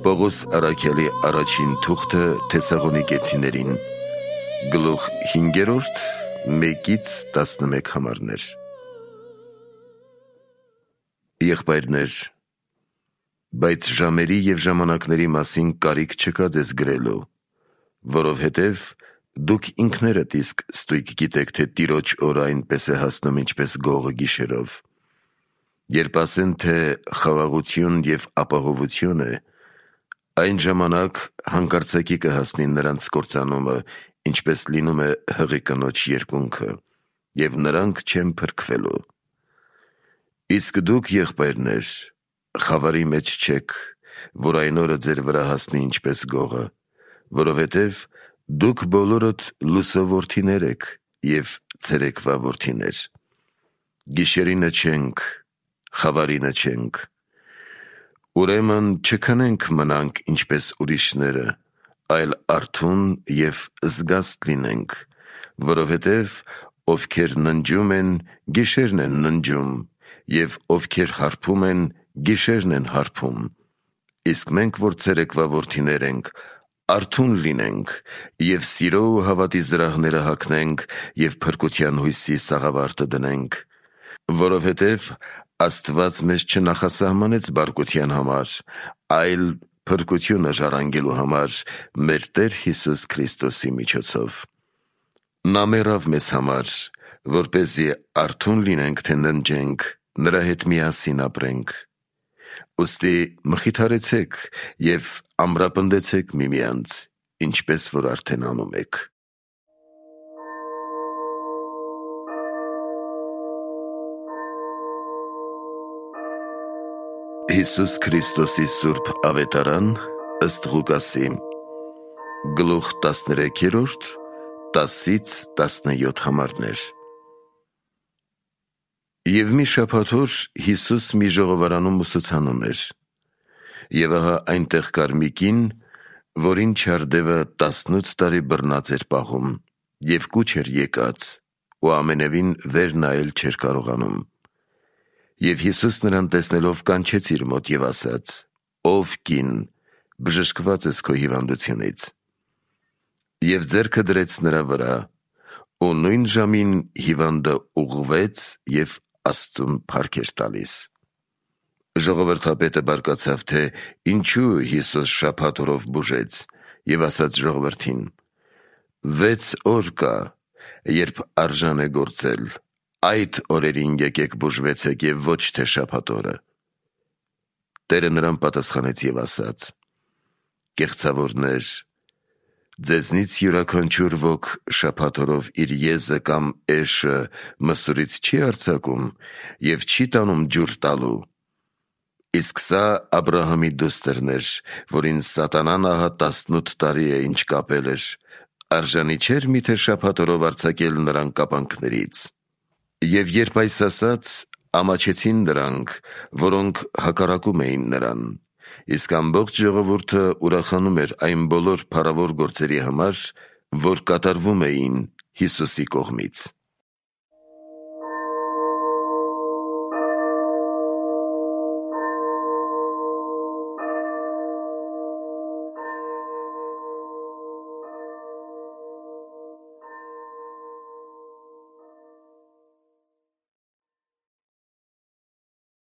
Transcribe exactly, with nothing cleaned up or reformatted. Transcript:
Պողոս առաքյալի առաջին թուղթը Թեսաղոնիկեցիներին, գլուխ հինգերորդ, մեկից տասնմեկ համարներ։ Եղբայրներ, բայց ժամերի և ժամանակների մասին կարիք չկա ձեզ գրելու, որովհետև դուք ինքներդ իսկ ստույգ գիտեք, թե Տիրոջ օրը այնպես է հասնում, ինչպես գողը գիշերով։ Երբ ասեն, թե խաղաղություն և ապահովություն է, այն ժամանակ հանկարծակի կհասնի նրանց կործանումը, ինչպես լինում է հղի կնոջ երկունքը, և նրանք չեն փրկվելու։ Իսկ դուք, եղբայրներ, խավարի մեջ չեք, որ այն օրը ձեր վրա հասնի ինչպես գողը, որովհետև դուք բոլորդ լուսո որդիներ եք և ցերեկվա որդիներ։ Գիշերինը չենք, խավարինը չենք։ Ուրեմն չքնենք մնանք ինչպես ուրիշները, այլ արթուն և զգաստ լինենք, որովհետև ովքեր ննջում են, գիշերն են ննջում, և ովքեր հարբում են, գիշերն են հարբում։ Իսկ մենք, որ ցերեկվա որդիներ ենք, արթուն լինենք և սիրո ու հավատի զրահները հագնենք և փրկության հույսի սաղավարտը դնենք, որովհետև Աստված մեզ չնախասահմանեց բարկության համար, այլ փրկությունը ժառանգելու համար մեր Տեր Հիսուս Քրիստոսի միջոցով։ Նա մեռավ մեզ համար, որպեսզի արթուն լինենք, թե ննջենք, նրա հետ միասին ապրենք։ Ուստի մխիթարեցեք և ամրապնդեցեք միմյանց, ինչպես որ արդեն անում եք։ Հիսուս Քրիստոսի սուրբ ավետարան ըստ Ղուկասի, գլուխ տասներեքերորդ, տասից տասնյոթ համարներ։ Եվ մի շաբաթ օր Հիսուս մի ժողովարանում ուսուցանում էր, և ահա այնտեղ կար մի կին, որին չարդևը տասնութ տարի բռնած էր պահում, և կուչ էր եկած, ու ամենևին վեր նայել չէր կարողանում։ Եվ Հիսուս նրան տեսնելով կանչեց իր մոտ և ասաց. «Ով կին, բժշկված ես քո հիվանդությունից»։ Եվ ձեռքը դրեց նրա վրա, ու նույն ժամին հիվանդը ուղղվեց և Աստծուն փառք էր տալիս։ Ժողովրդապետը բարկացավ, թե ինչու Հիսուս շաբաթ օրով բուժեց, և ասաց ժողովրդին. «Վեց օր կա, երբ արժան է գործել, այդ օրերին եկեք բուժվեցեք և ոչ թե շաբաթ օրը»։ Տերը նրան պատասխանեց և ասաց. «Կեղծավորներ, ձեզնից յուրաքանչյուր ոք շաբաթ օրով իր եզը կամ էշը մսուրից չի արձակում և չի տանում ջուր տալու։ Իսկ սա Աբրահամի դուստրն էր, որին սատանան ահա տասնութ տարի է ինչ կապել էր, արժանի չէր միթե շաբաթ օրով արձակել նրան կապանքներից»։ Եվ երբ այս ասաց, ամաչեցին նրանք, որոնք հակառակում էին նրան, իսկ ամբողջ ժողովուրդը ուրախանում էր այն բոլոր փառավոր գործերի համար, որ կատարվում էին Հիսուսի կողմից։